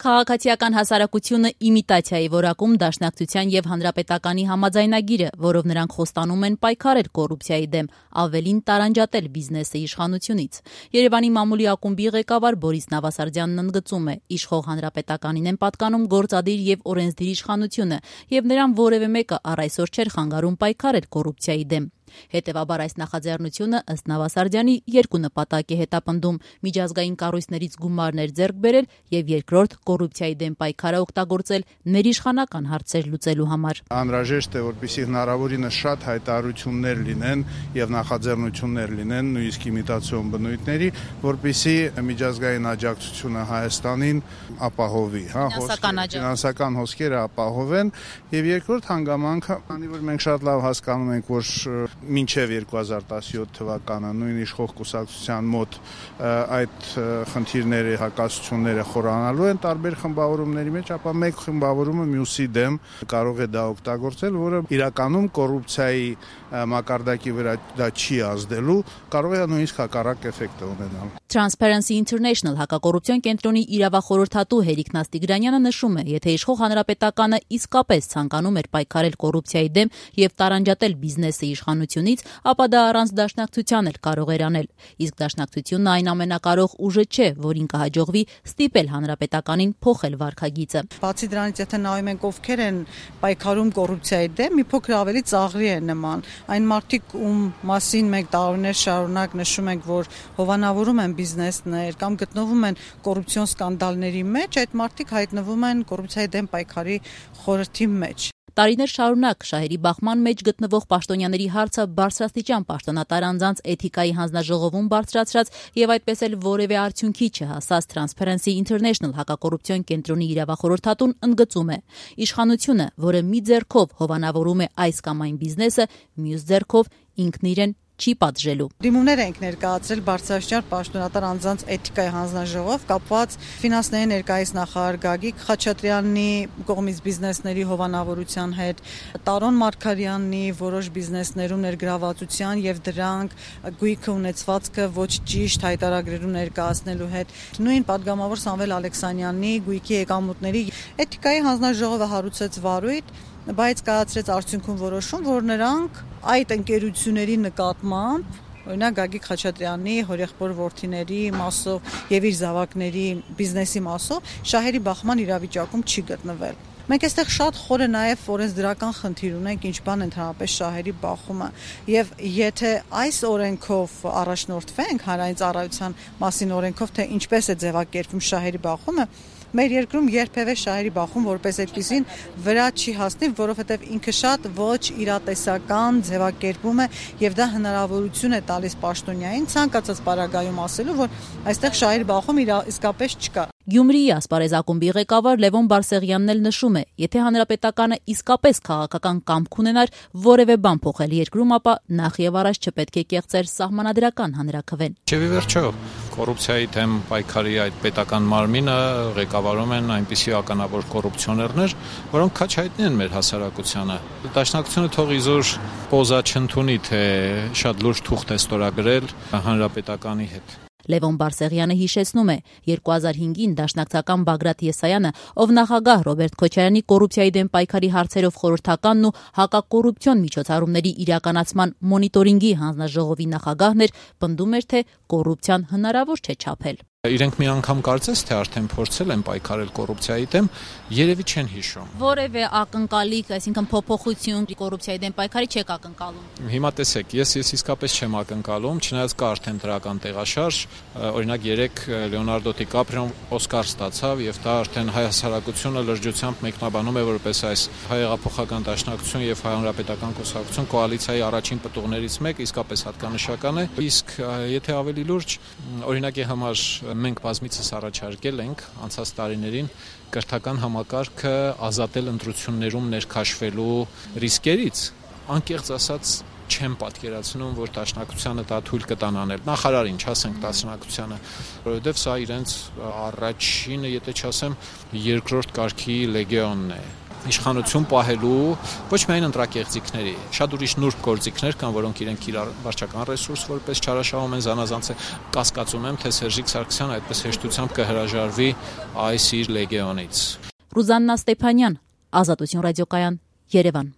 Քաղաքացիական հասարակությունը իմիտացիայի որակում Դաշնակցության եւ Հանրապետականի համաձայնագիրը, որով նրանք խոստանում են պայքարել կոռուպցիայի դեմ, ավելին տարանջատել բիզնեսը իշխանությունից։ Երևանի մամուլի ակումբի ղեկավար Բորիս Նավասարդյանն ընդգծում է, իշխող Հանրապետականին են պատկանում գործադիր եւ օրենսդիր իշխանությունը, եւ նրան որևէ մեկը առ այսօր չէր խանգարում պայքարել կոռուպցիայի դեմ։ Հետևաբար այս նախաձեռնությունը ըստ Նավասարդյանի երկու նպատակ է հետապնդում՝ միջազգային կառույցներից գումարներ ձեռք բերել եւ երկրորդ կոռուպցիայի դեմ պայքարը օգտագործել ներիշխանական հարցեր լուծելու համար։ Անհրաժեշտ է, որպեսզի հնարավորինս շատ հայտարարություններ լինեն եւ նախաձեռնություններ լինեն նույնիսկ իմիտացիոն բնույթների, որպեսզի միջազգային աջակցությունը Հայաստանին ապահովի, ֆինանսական հոսքերը ապահովեն եւ երկրորդ հանգամանքը, քանի որ մենք շատ լավ հասկանում ենք, որ մինչև 2017 թվականը նույն իշխող կուսակցության մոտ այդ խնդիրների հակասությունները խորանալու են տարբեր խմբավորումների մեջ, ապա մեկ խմբավորումը մյուսի դեմ կարող է դա օգտագործել, որը իրականում կոռուպցիայի մակարդակի վրա դա չի ազդելու, կարող է նույնիսկ հակառակ էֆեկտ ունենալ։ Transparency International հակակոռուպցիոն կենտրոնի իրավախորհրդատու Հերիկ Նաստիգրանյանը նշում է, եթե իշխող Հանրապետականը իսկապես ցանկանում էր պայքարել կոռուպցիայի դեմ եւ տարանջատել բիզնեսը իշխանությունից, ապա դա առանց Դաշնակցության էլ կարող էր անել։ Իսկ Դաշնակցությունն այն ամենակարող ուժը չէ, որին կհաջողվի ստիպել Հանրապետականին փոխել վարքագիծը։ Բացի դրանից, եթե նայում ենք ովքեր են պայքարում կոռուպցիայի դեմ, մի փոքր ավելի ծաղրի են նման։ Այն մարդիկ, ում մասին մենք տարիներ շարունակ նշում ենք, որ հովանավորում են բիզնեսներ կամ գտնվում են կոռուպցիոն սկանդալների մեջ, այդ մարդիկ հայտնվում են կոռուպցիայի դեմ պայքարի խորհրդի մեջ։ Տարիներ շարունակ շահերի բախման մեջ գտնվող պաշտոնյաների հարցը բարձրաստիճան պաշտոնատար անձանց էթիկայի հանձնաժողովում բարձրացրած եւ այդպես էլ որևէ արդյունքի չհասած Transparency International հակակոռուպցիոն կենտրոնի իրավախորհրդատուն ընդգծում է. իշխանությունը, որը մի ձեռքով հովանավորում է այս կամ այն բիզնեսը, մյուս ձեռքով ինքն իրեն չի պատժելու։ Դիմումներ ենք ներկայացրել բարձրաստիճան պաշտոնատար անձանց էթիկայի հանձնաժողով կապված ֆինանսների ներկայիս նախարար Գագիկ Խաչատրյանի կողմից բիզնեսների հովանավորության հետ, Տարոն Մարգարյանի որոշ բիզնեսներում ներգրավվածության եւ դրանք գույքը ունեցվածքը ոչ ճիշտ հայտարարագրերում ներկայացնելու հետ, նույն падգամավոր Սամվել Ալեքսանյանի գույքի եկամուտների էթիկայի հանձնաժողովը հարուցեց վարույթ, բայց կայացրեց արդյունքում որոշում, որ նրանք այդ ընկերությունների նկատմամբ, օրինակ Գագիկ Խաչատրյանի հորեղբոր որդիների մասով եւ իր զավակների բիզնեսի մասով շահերի բախման իրավիճակում չի գտնվել։ Մենք այստեղ շատ խորը նաև օրենսդրական խնդիր ունենք, ինչ բան ընդհանրապես շահերի բախումը, եւ եթե այս օրենքով առաջնորդվենք հանրային ծառայության մասին օրենքով, թե ինչպես է ձևակերպվում շահերի բախումը, մեր երկրում երբևէ շահերի բախում որպես այդպեսին վրա չի հասնի, որովհետև ինքը շատ ոչ իրատեսական ձևակերպում է եւ դա հնարավորություն է տալիս պաշտոնյային ցանկացած պարագայում ասելու, որ այստեղ շահերի բախում իսկապես չկա։ Գյումրիի ասպարեզ ակումբի ղեկավար Լևոն Բարսեղյանն էլ նշում է, եթե Հանրապետականը իսկապես քաղաքական կամք ունենար որևէ բան փոխել երկրում, ապա նախ եւ առաջ չպետք է կեղծեր սահմանադրական հանրաքվեն։ Չէ՞ վերջո կոռուպցիայի դեմ պայքարի այդ պետական մարմինը ղեկավարում են այնպիսի ականավոր կոռուպցիոներներ, որոնք քաչ հայտնի են մեր հասարակությանը։ Դաշնակցությունը թող իզուր պոզա չընդունի, թե շատ լուրջ թուղթ է ստորագրել Հանրապետականի հետ։ Լևոն Բարսեղյանը հիշեցնում է, 2005-ին դաշնակցական Բագրատ Եսայանը, ով նախագահ Ռոբերտ Քոչարյանի կոռուպցիայի դեմ պայքարի հարցերով խորհրդականն ու հակակոռուպցիոն միջոցառումների իրականացման մոնիտորինգի հանձնաժողովի նախագահն էր, պնդում էր, թե կոռուպցիան հնարավոր չէ չափել։ Իրենք մի անգամ կարծես թե արդեն փորձել են պայքարել կոռուպցիայի դեմ, երևի չեն հիշում։ Որևէ ակնկալիք, այսինքն փոփոխություն կոռուպցիայի դեմ պայքարի չեք ակնկալում։ Հիմա տեսեք, ես իսկապես չեմ ակնկալում, չնայած կա արդեն դրական տեղաշարժ, օրինակ 3 Լեոնարդո Դիկապրիոն Օսկար ստացավ եւ դա արդեն հայ հասարակությունը լրջությամբ մեկնաբանում է որպես այս հայեղափոխական դաշնակցություն եւ հանրապետական կուսակցություն կոալիցիայի առաջին պտուղներից մեկը իսկապես հատկանշական է։ Իսկ եթե ավելի լուրջ, օրինակի համար մենք բազմիցս առաջարկել ենք անցած տարիներին կրթական համակարգը ազատել ընտրություններում ներքաշվելու ռիսկերից, անկեղծ ասած չեմ պատկերացնում, որ Դաշնակցությանը դա թույլ կտան անել։ Նախարարին, չասենք Դաշնակցությանը, որովհետև սա իրենց առաջինը, եթե չասեմ, երկրորդ կարգի լեգեոնն է։ իշխանություն պահելու ոչ միայն ընտրակեղծիքների, շատ ուրիշ նուրբ գործիքներ կան, որոնք իրենք իրար վարչական ռեսուրս որպես չարաշահում են զանազանց կասկածում եմ, թե Սերժիկ Սարգսյանը այդպես հեշտությամբ կհրաժարվի այս իր լեգեոնից։ Ռուզաննա Ստեփանյան, Ազատություն ռադիոկայան, Երևան։